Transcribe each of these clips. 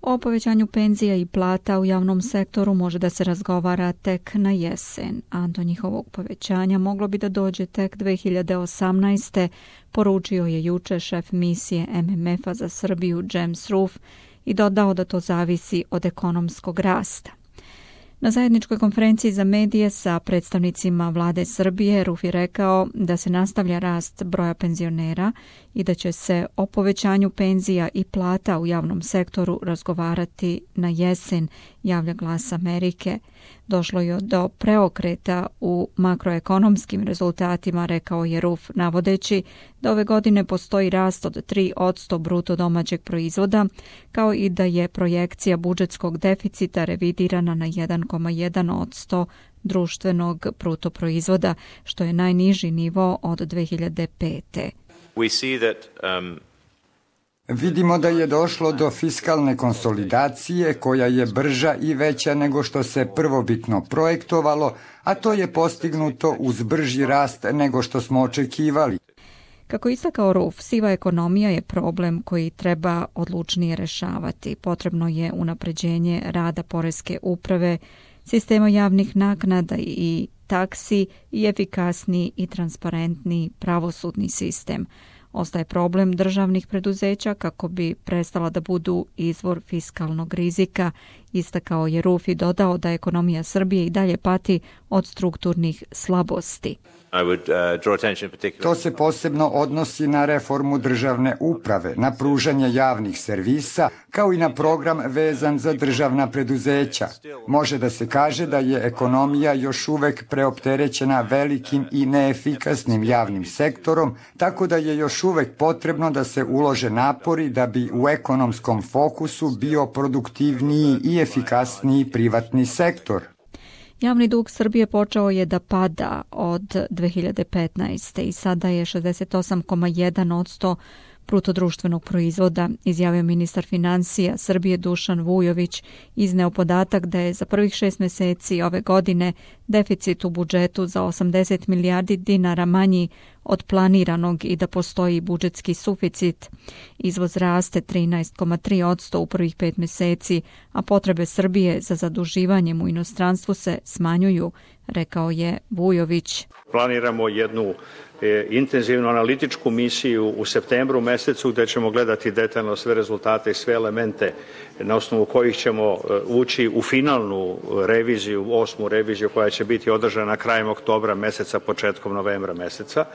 O povećanju penzija i plata u javnom sektoru može da se razgovara tek na jesen, a do njihovog povećanja moglo bi da dođe tek 2018. poručio je juče šef misije MMF-a za Srbiju James Roof i dodao da to zavisi od ekonomskog rasta. Na zajedničkoj konferenciji za medije sa predstavnicima vlade Srbije Roof je rekao da se nastavlja rast broja penzionera i da će se o povećanju penzija i plata u javnom sektoru razgovarati na jesen, javlja Glas Amerike. Došlo je do preokreta u makroekonomskim rezultatima, rekao je Roof, navodeći da ove godine postoji rast od 3% bruto domaćeg proizvoda, kao i da je projekcija budžetskog deficita revidirana na 1,1% društvenog bruto proizvoda, što je najniži nivo od 2005. Vidimo da je došlo do fiskalne konsolidacije koja je brža i veća nego što se prvobitno projektovalo, a to je postignuto uz brži rast nego što smo očekivali. Kako istakao Roof, siva ekonomija je problem koji treba odlučnije rešavati. Potrebno je unapređenje rada poreske uprave, sistema javnih naknada i taksi i efikasniji i transparentniji pravosudni sistem. Ostaje problem državnih preduzeća kako bi prestala da budu izvor fiskalnog rizika, istakao je Roof i dodao da ekonomija Srbije i dalje pati od strukturnih slabosti. To se posebno odnosi na reformu državne uprave, na pružanje javnih servisa, kao i na program vezan za državna preduzeća. Može da se kaže da je ekonomija još uvek preopterećena velikim i neefikasnim javnim sektorom, tako da je još uvek potrebno da se ulože napori da bi u ekonomskom fokusu bio produktivniji i efikasniji privatni sektor. Javni dug Srbije počeo je da pada od 2015. i sada je 68,1% bruto društvenog proizvoda, izjavio ministar finansija Srbije Dušan Vujović, izneo podatak da je za prvih 6 meseci ove godine deficit u budžetu za 80 milijardi dinara manji od planiranog i da postoji budžetski suficit. Izvoz raste 13,3% u prvih 5 meseci, a potrebe Srbije za zaduživanjem u inostranstvu se smanjuju, rekao je Vujović. Planiramo jednu intenzivnu analitičku misiju u septembru mesecu gde ćemo gledati detaljno sve rezultate i sve elemente na osnovu kojih ćemo ući u finalnu reviziju, 8. reviziju koja će biti održana krajem oktobra meseca, početkom novembra meseca.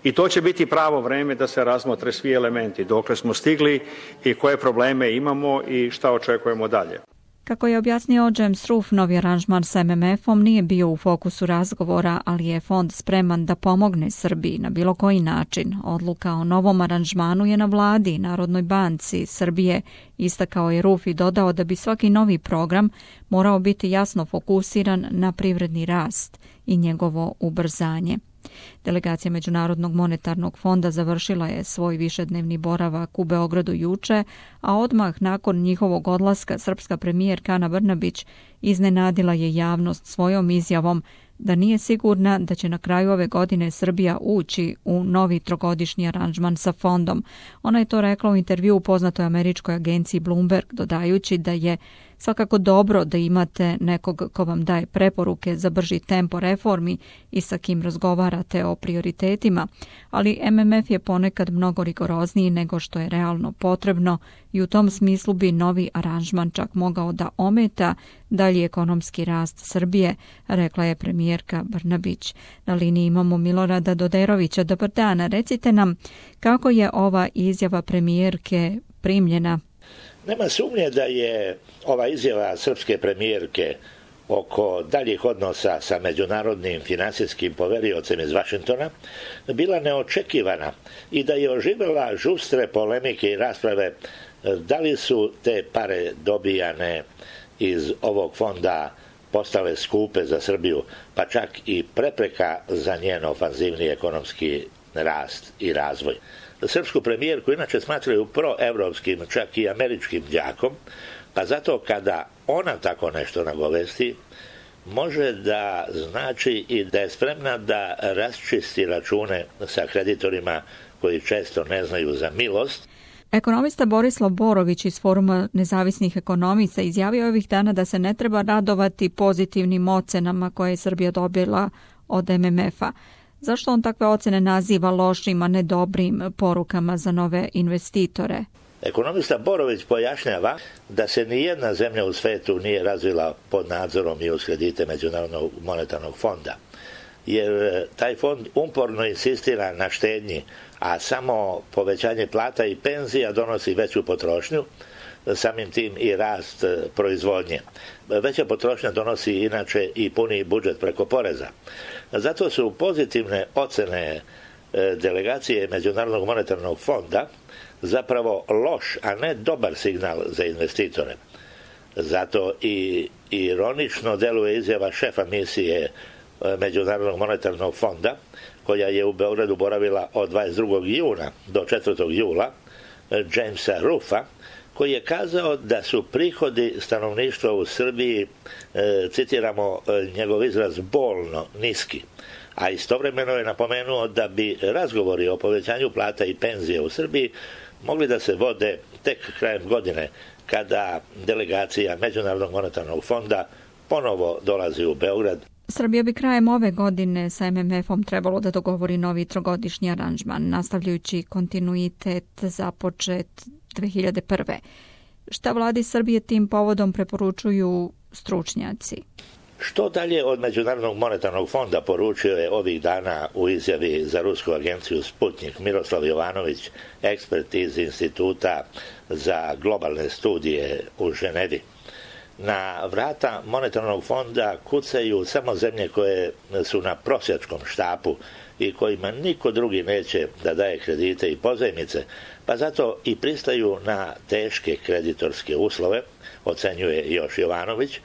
I to će biti pravo vreme da se razmotre svi elementi, dokle smo stigli i koje probleme imamo i šta očekujemo dalje. Kako je objasnio James Roof, novi aranžman sa MMF-om nije bio u fokusu razgovora, ali je fond spreman da pomogne Srbiji na bilo koji način. Odluka o novom aranžmanu je na vladi i Narodnoj banci Srbije, istakao je Roof i dodao da bi svaki novi program morao biti jasno fokusiran na privredni rast i njegovo ubrzanje. Delegacija Međunarodnog monetarnog fonda završila je svoj višednevni boravak u Beogradu juče, a odmah nakon njihovog odlaska srpska premijerka Ana Brnabić iznenadila je javnost svojom izjavom da nije sigurna da će na kraju ove godine Srbija ući u novi trogodišnji aranžman sa fondom. Ona je to rekla u intervju u poznatoj američkoj agenciji Bloomberg, dodajući da je svakako dobro da imate nekog ko vam daje preporuke za brži tempo reformi i sa kim razgovarate o prioritetima, ali MMF je ponekad mnogo rigorozniji nego što je realno potrebno i u tom smislu bi novi aranžman čak mogao da ometa dalji ekonomski rast Srbije, rekla je premijerka Brnabić. Na liniji imamo Milorada Doderovića. Dobar dan, recite nam kako je ova izjava premijerke primljena? Nema sumnje da je ova izjava srpske premijerke oko daljih odnosa sa međunarodnim finansijskim poveriocem iz Vašingtona bila neočekivana i da je oživela žustre polemike i rasprave da li su te pare dobijane iz ovog fonda postale skupe za Srbiju, pa čak i prepreka za njen ofanzivni ekonomski rast i razvoj. Srpsku premijerku inače smatraju proevropskim, čak i američkim đakom, pa zato kada ona tako nešto nagovesti, može da znači i da je spremna da raščisti račune sa kreditorima koji često ne znaju za milost. Ekonomista Borislav Borović iz Foruma nezavisnih ekonomista izjavio je ovih dana da se ne treba radovati pozitivnim ocenama koje je Srbija dobila od MMF-a. Zašto on takve ocene naziva lošim, a ne dobrim porukama za nove investitore? Ekonomista Borović pojašnjava da se nijedna zemlja u svetu nije razvila pod nadzorom i uz kredite Međunarodnog monetarnog fonda, jer taj fond uporno insistira na štednji, a samo povećanje plata i penzija donosi veću potrošnju, samim tim i rast proizvodnje. Veća potrošnja donosi inače i puniji budžet preko poreza. Zato su pozitivne ocene delegacije Međunarodnog monetarnog fonda zapravo loš, a ne dobar signal za investitore. Zato i ironično deluje izjava šefa misije Međunarodnog monetarnog fonda, koja je u Beogradu boravila od 22. juna do 4. jula, Jamesa Ruffa, koji je kazao da su prihodi stanovništva u Srbiji, citiramo njegov izraz, bolno niski. A istovremeno je napomenuo da bi razgovori o povećanju plata i penzije u Srbiji mogli da se vode tek krajem godine, kada delegacija Međunarodnog monetarnog fonda ponovo dolazi u Beograd. Srbija bi krajem ove godine sa MMF-om trebalo da dogovori novi trogodišnji aranžman, nastavljajući kontinuitet započet 2001. Šta vladi Srbije tim povodom preporučuju stručnjaci? Što dalje od Međunarodnog monetarnog fonda poručio je ovih dana u izjavi za rusku agenciju Sputnik Miroslav Jovanović, ekspert iz Instituta za globalne studije u Ženevi. Na vrata monetarnog fonda kucaju samo zemlje koje su na prosjačkom štapu i kojima niko drugi neće da daje kredite i pozajmice, pa zato i pristaju na teške kreditorske uslove, ocenjuje još Jovanović,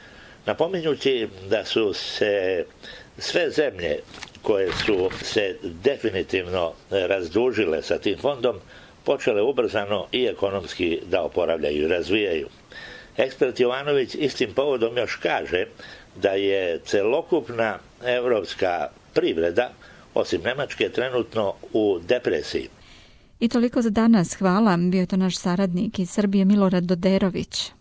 napominjući da su se sve zemlje koje su se definitivno razdužile sa tim fondom počele ubrzano i ekonomski da oporavljaju i razvijaju. Ekspert Jovanović istim povodom još kaže da je celokupna evropska privreda, osim Nemačke, trenutno u depresiji. I toliko za danas. Hvala. Bio je to naš saradnik iz Srbije Milorad Doderović.